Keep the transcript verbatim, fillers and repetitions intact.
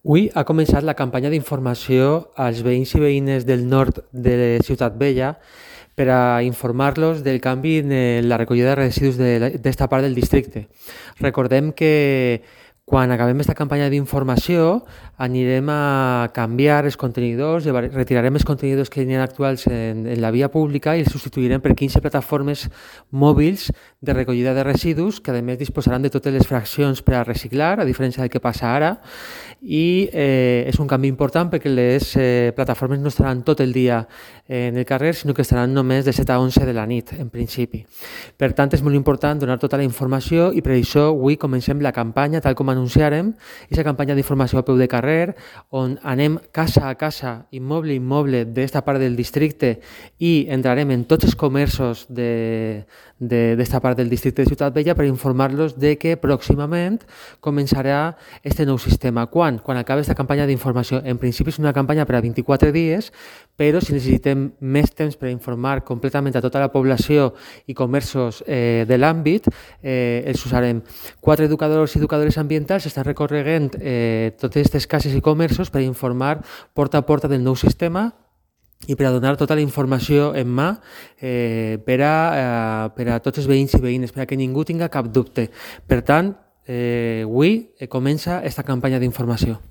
Avui ha començat la campanya d'informació als veïns i veïnes del nord de Ciutat Vella per a informar-los del canvi en la recollida de residus d'esta part del districte. Recordem que quan acabem aquesta campanya d'informació anirem a canviar els contenidors, retirarem els contenidors que hi ha actuals en, en la via pública i els substituirem per quinze plataformes mòbils de recollida de residus que a més disposaran de totes les fraccions per a reciclar, a diferència del que passa ara, i eh, és un canvi important perquè les eh, plataformes no estaran tot el dia en el carrer, sinó que estaran només de set a onze de la nit, en principi. Per tant, és molt important donar tota la informació i per això avui comencem la campanya, tal com anunciarem, aquesta campanya d'informació a peu de carrer, on anem casa a casa, immoble a immoble d'esta part del districte i entrarem en tots els comerços d'esta part del districte de Ciutat Vella per informar-los de que pròximament començarà este nou sistema. Quan? Quan acabi aquesta campanya d'informació. En principi és una campanya per a vint-i-quatre dies, però si necessitem més temps per informar completament a tota la població i comerços eh, de l'àmbit, eh, els usarem. Quatre educadors i educadores ambientals estan recorregant eh, totes aquestes cases i comerços per informar porta a porta del nou sistema i per a donar tota la informació en mà eh, per, a, eh, per a tots els veïns i veïnes, per a que ningú tinga cap dubte. Per tant, eh, avui comença aquesta campanya d'informació.